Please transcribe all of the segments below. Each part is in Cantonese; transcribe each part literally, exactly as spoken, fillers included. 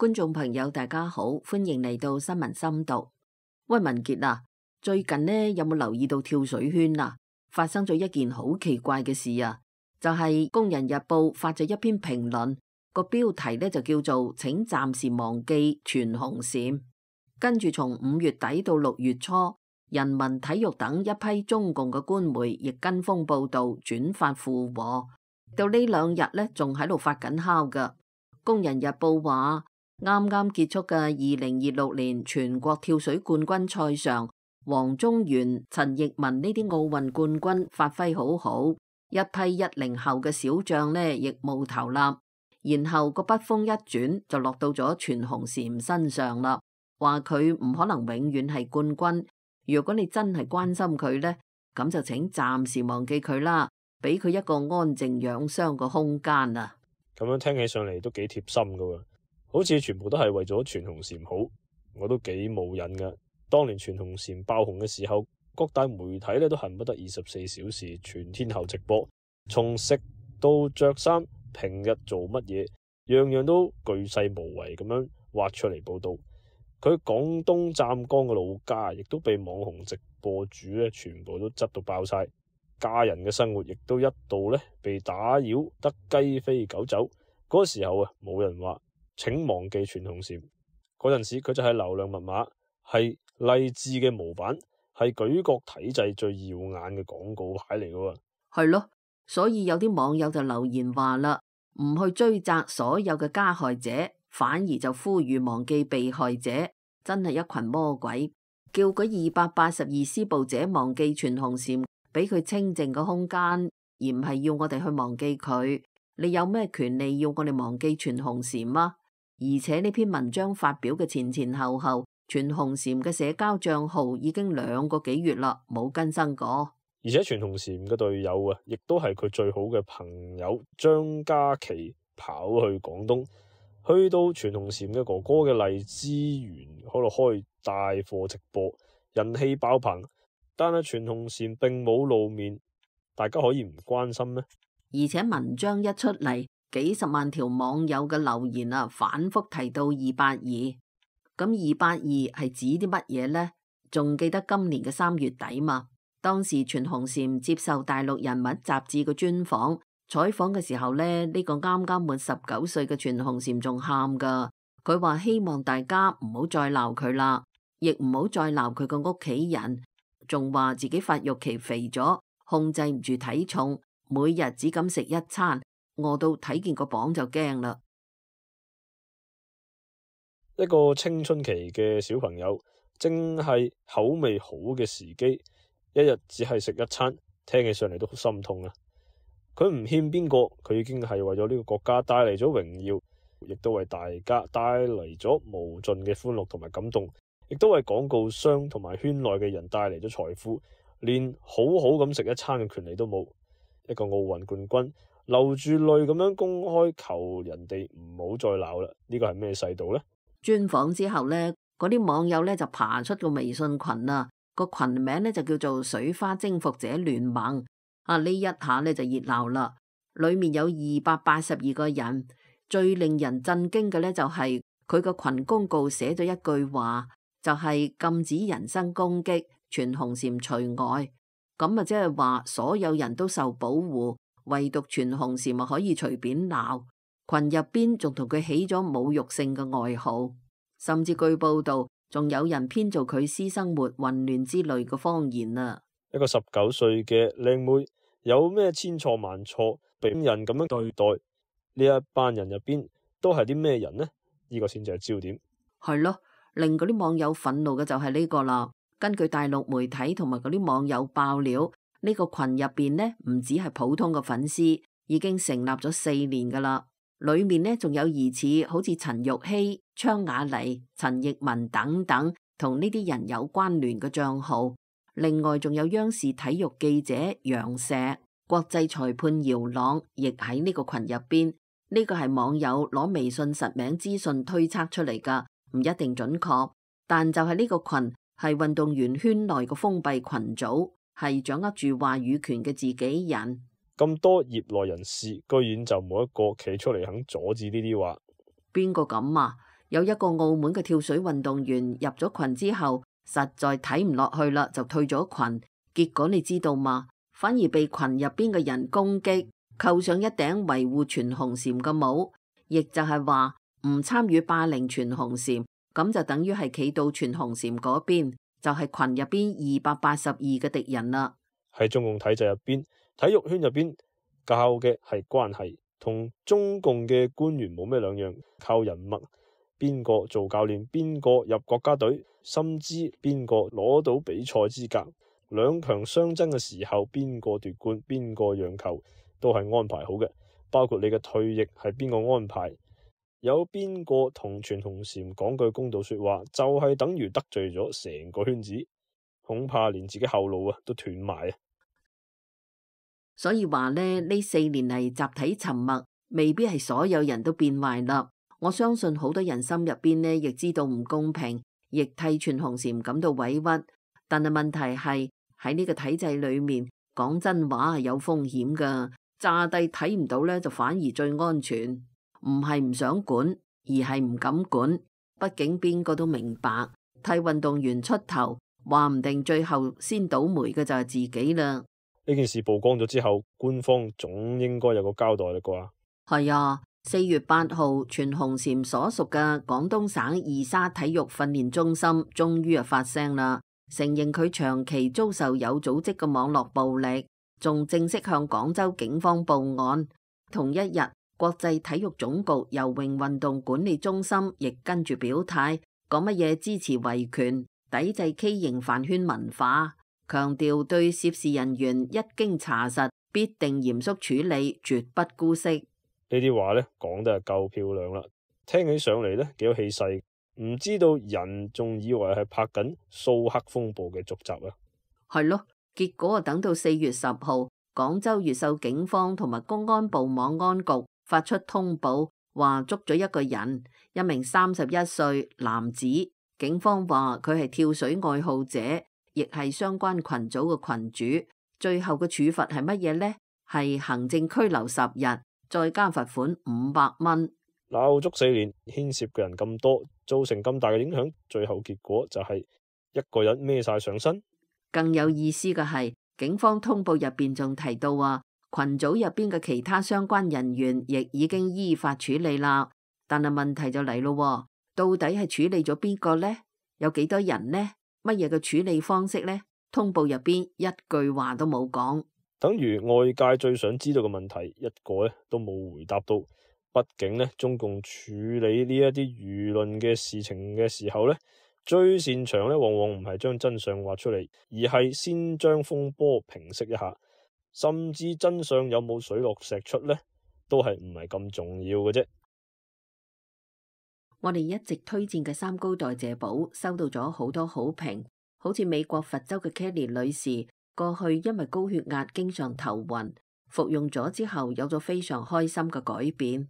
觀眾朋友大家好，歡迎嚟到新聞深讀。喂，文傑啊，最近呢有冇留意到跳水圈啊？發生咗一件好奇怪嘅事啊，就係、是《工人日報》發咗一篇評論，個標題呢就叫做請暫時忘記全紅嬋。跟住從五月底到六月初，人民體育等一批中共嘅官媒亦跟風報道轉發附和，到呢兩日呢仲喺度發緊酵噶。《工人日報》話啱啱結束嘅二零二六年全國跳水冠軍賽上，王宗源、陳奕文呢啲奧運冠軍發揮好好，一批一零後嘅小將呢亦冒頭立，然後個筆鋒一轉就落到咗全紅嬋身上啦，話佢唔可能永遠係冠軍。如果你真係關心佢呢，咁就請暫時忘記佢啦，俾佢一個安靜養傷嘅空間啊！咁樣聽起上嚟都幾貼心噶喎，好似全部都係為咗全紅嬋好，我都幾冇癮噶。當年全紅嬋爆紅嘅時候，各大媒體咧都恨不得二十四小時全天候直播，從食到着衫，平日做乜嘢，樣樣都巨細無遺咁樣挖出嚟報道。佢廣東湛江嘅老家，亦都被網紅直播主咧全部都執到爆晒，家人嘅生活亦都一度咧被打擾得雞飛狗走。嗰個時候啊，冇人話請忘記全紅嬋，嗰陣時佢就係流量密碼，係勵志嘅模板，係舉國體制最耀眼嘅廣告牌嚟噶。係咯，所以有啲網友就留言話啦，唔去追責所有嘅加害者，反而就呼籲忘記被害者，真係一群魔鬼，叫嗰二百八十二施暴者忘記全紅嬋，俾佢清靜個空間，而唔係要我哋去忘記佢。你有咩權利要我哋忘記全紅嬋啊？而且呢篇文章發表嘅前前後後，全紅嬋嘅社交賬號已經兩個幾月啦，冇更新過。而且全紅嬋嘅隊友啊，亦都係佢最好嘅朋友張家琪跑去廣東，去到全紅嬋嘅哥哥嘅荔枝園嗰度開帶貨直播，人氣爆棚。但係全紅嬋並冇露面，大家可以唔關心咩？而且文章一出嚟，幾十萬條網友嘅留言啊，反覆提到二八二。咁二八二係指啲乜嘢呢？仲記得今年嘅三月底嘛？當時全紅嬋接受大陸人物雜誌嘅專訪，採訪嘅時候呢，呢個啱啱滿十九歲嘅全紅嬋仲喊噶。佢話希望大家唔好再鬧佢啦，亦唔好再鬧佢個屋企人，仲話自己發育期肥咗，控制唔住體重。每日只敢食一餐，餓到睇見個磅就驚啦。一個青春期嘅小朋友，正係口味好嘅時機，一日只係食一餐，聽起上嚟都好心痛啊！佢唔欠邊個，佢已經係為咗呢個國家帶嚟咗榮耀，亦都為大家帶嚟咗無盡嘅歡樂同埋感動，亦都為廣告商同埋圈內嘅人帶嚟咗財富，連好好咁食一餐嘅權利都冇。一個奧運冠軍流住淚咁樣公開求人哋唔好再鬧啦，呢個係咩世道呢？專訪之後呢，嗰啲網友呢就爬出個微信群啊，個群名呢就叫做水花征服者聯盟啊，呢一下呢就熱鬧啦，裏面有二百八十二個人，最令人震驚嘅呢就係佢個群公告寫咗一句話，就係禁止人身攻擊，全紅嬋除外。咁啊，即係話所有人都受保護，唯獨全紅嬋咪可以隨便鬧。群入邊仲同佢起咗侮辱性嘅外號，甚至據報道仲有人編造佢私生活混亂之類嘅謊言啊！一個十九歲嘅靚妹有咩千錯萬錯，被人咁樣對待？呢一班人入邊都係啲咩人呢？呢個先至係焦點。係咯，令嗰啲網友憤怒嘅就係呢個啦。根據大陸媒體同埋嗰啲網友爆料，呢個群入邊呢唔止係普通嘅粉絲，已經成立咗四年噶啦。裏面呢仲有疑似好似陳玉希、昌雅妮、陳奕文等等同呢啲人有關聯嘅賬號。另外仲有央視體育記者楊石、國際裁判姚朗，亦喺呢個群入邊。呢個係網友攞微信實名資訊推測出嚟噶，唔一定準確，但就係呢個群。係運動員圈內嘅封閉群組，係掌握住話語權嘅自己人。咁多業內人士，居然就冇一個企出嚟肯阻止呢啲話。邊個咁啊？有一個澳門嘅跳水運動員入咗群之後，實在睇唔落去啦，就退咗群。結果你知道嘛？反而被群入邊嘅人攻擊，扣上一頂維護全紅嬋嘅帽，亦就係話唔參與霸凌全紅嬋，咁就等於係企到全紅嬋嗰邊，就係群入邊二百八十二嘅敵人啦。喺中共體制入邊，體育圈入邊教嘅係關係，同中共嘅官員冇咩兩樣，靠人脈，邊個做教練，邊個入國家隊，甚至邊個攞到比賽資格，兩強相爭嘅時候，邊個奪冠，邊個讓球，都係安排好嘅。包括你嘅退役係邊個安排，有邊個同全紅嬋講句公道說話，就係、是、等於得罪咗成個圈子，恐怕連自己後路啊都斷埋啊！所以話呢，呢四年嚟集體沉默，未必係所有人都變壞啦。我相信好多人心入邊呢，亦知道唔公平，亦替全紅嬋感到委屈。但係問題係喺呢個體制裏面，講真話係有風險噶。炸低睇唔到呢，就反而最安全。唔係唔想管，而係唔敢管。畢竟邊個都明白，替運動員出頭，話唔定最後先倒霉嘅就係自己啦。呢件事曝光咗之後，官方總應該有個交代啦啩？係啊，四月八號，全紅嬋所屬嘅廣東省二沙體育訓練中心終於啊發聲啦，承認佢長期遭受有組織嘅網絡暴力，仲正式向廣州警方報案。同一日，國際體育總局游泳運動管理中心亦跟住表態，講乜嘢支持維權，抵制畸形飯圈文化。強調對涉事人員一經查實，必定嚴肅處理，絕不姑息。呢啲話呢講得係夠漂亮啦，聽起上嚟呢幾有氣勢，唔知道人仲以為係拍緊蘇克風暴嘅續集啊？係咯，結果啊等到四月十號，廣州越秀警方同埋公安部網安局發出通報，話捉咗一個人，一名三十一歲男子，警方話佢係跳水愛好者。亦係相關群組嘅群主，最後嘅處罰係乜嘢呢？係行政拘留十日，再加罰款五百蚊。鬧足四年，牽涉嘅人咁多，造成咁大嘅影響，最後結果就係一個人孭晒上身。更有意思嘅係，警方通報入邊仲提到話，群組入邊嘅其他相關人員亦已經依法處理啦。但係問題就嚟咯，到底係處理咗邊個呢？有幾多人呢？乜嘢嘅處理方式呢？通報入邊一句話都冇講，等於外界最想知道嘅問題一個咧都冇回答到。畢竟呢，中共處理呢一啲輿論嘅事情嘅時候呢，最擅長咧往往唔係將真相挖出嚟，而係先將風波平息一下，甚至真相有冇水落石出呢，都係唔係咁重要嘅啫。我哋一直推薦嘅三高代謝寶收到咗好多好評，好似美國佛州嘅 Kelly 女士，過去因為高血壓經常頭暈，服用咗之後有咗非常開心嘅改變。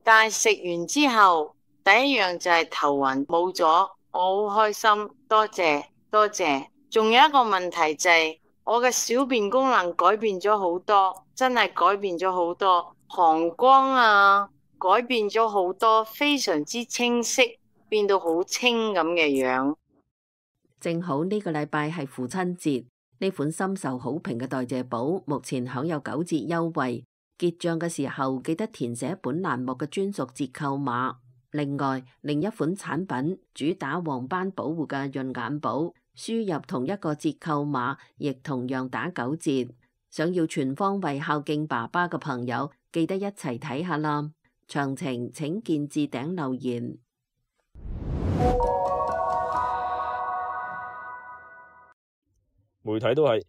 但係食完之後，第一樣就係頭暈冇咗，我好開心，多謝多謝。仲有一個問題就係我嘅小便功能改變咗好多，真係改變咗好多，膀胱啊。改變咗好多，非常之清晰，變到好清咁嘅樣。正好呢個禮拜係父親節，呢款深受好評嘅代謝寶目前享有九折優惠，結賬嘅時候記得填寫本欄目嘅專屬折扣碼。另外，另一款產品主打黃斑保護嘅潤眼寶，輸入同一個折扣碼，亦同樣打九折。想要全方位孝敬爸爸嘅朋友，記得一齊睇下啦。詳情請見置頂留言。媒體都係，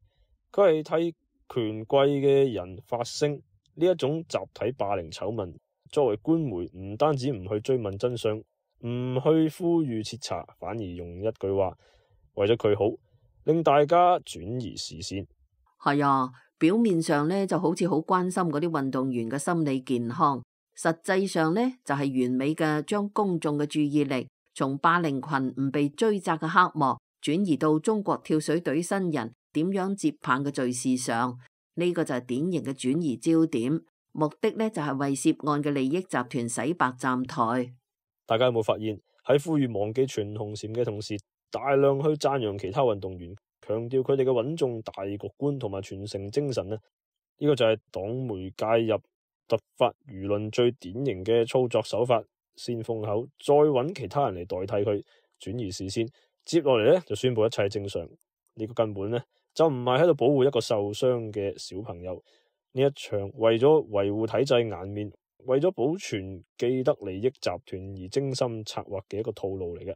佢係替權貴嘅人發聲。呢一種集體霸凌醜聞，作為官媒唔單止唔去追問真相，唔去呼籲徹查，反而用一句話為咗佢好，令大家轉移視線。係啊，表面上呢就好似好關心嗰啲運動員嘅心理健康。實際上呢，就係、是、完美嘅將公眾嘅注意力從霸凌群唔被追責嘅黑幕轉移到中國跳水隊新人點樣接棒嘅敘事上。呢、這個就係典型嘅轉移焦點，目的呢就係、是、為涉案嘅利益集團洗白站台。大家有冇發現喺呼籲忘記全紅嬋嘅同時，大量去讚揚其他運動員，強調佢哋嘅穩重大局觀同埋傳承精神呢？呢個就係黨媒介入突發輿論最典型嘅操作手法，先封口，再揾其他人嚟代替佢，轉移視線。接落嚟呢，就宣布一切正常。呢個根本呢，就唔係喺度保護一個受傷嘅小朋友。呢一場為咗維護體制顏面，為咗保存既得利益集團而精心策劃嘅一個套路嚟嘅。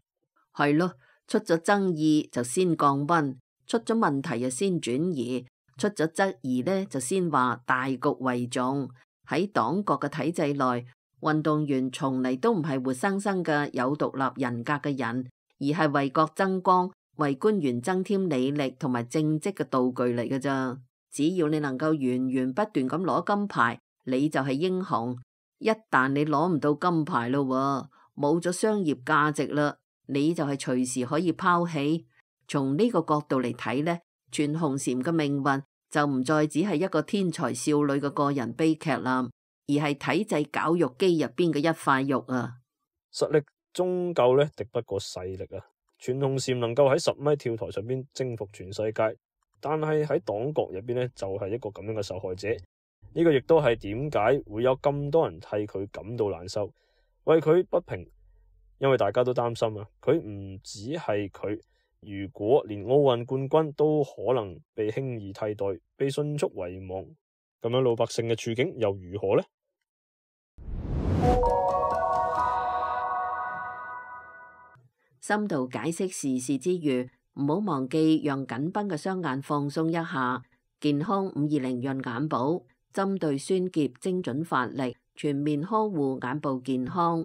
係咯，出咗爭議就先降溫，出咗問題就先轉移，出咗質疑呢，就先話大局為重。喺黨國嘅體制內，運動員從嚟都唔係活生生嘅有獨立人格嘅人，而係為國爭光、為官員增添履歷同埋政績嘅道具嚟嘅咋。只要你能夠源源不斷咁攞金牌，你就係英雄。一旦你攞唔到金牌咯，冇咗商業價值啦，你就係隨時可以拋棄。從呢個角度嚟睇呢，全紅嬋嘅命運就唔再只係一個天才少女嘅個人悲劇啦，而係體制絞肉機入邊嘅一塊肉啊！實力終究呢敵不過勢力啊！全紅嬋能夠喺十米跳台上邊征服全世界，但係喺黨國入邊呢，就係一個咁樣嘅受害者。呢個亦都係點解會有咁多人替佢感到難受，為佢不平，因為大家都擔心啊，佢唔只係佢，如果連奧運冠軍都可能被輕易替代，被迅速遺忘，咁樣老百姓嘅處境又如何呢？深度解釋時事之餘，唔好忘記讓緊繃嘅雙眼放鬆一下。健康五二零潤眼寶，針對酸澀精準發力，全面呵護眼部健康。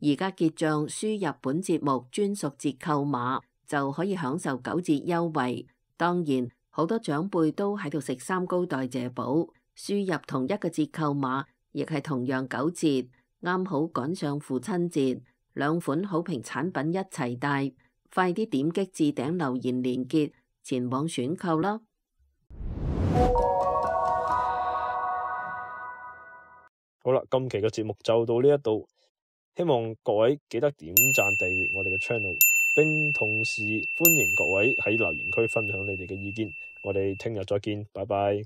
而家結賬輸入本節目專屬折扣碼，就可以享受九折優惠。當然，好多長輩都喺度食三高代謝寶，輸入同一個折扣碼，亦係同樣九折，啱好趕上父親節。兩款好評產品一齊帶，快啲點擊置頂留言連結，前往選購啦！好啦，今期嘅節目就到呢一度，希望各位記得點讚訂閱我哋嘅 channel， 並同時歡迎各位喺留言區分享你哋嘅意見。我哋聽日再見，拜拜。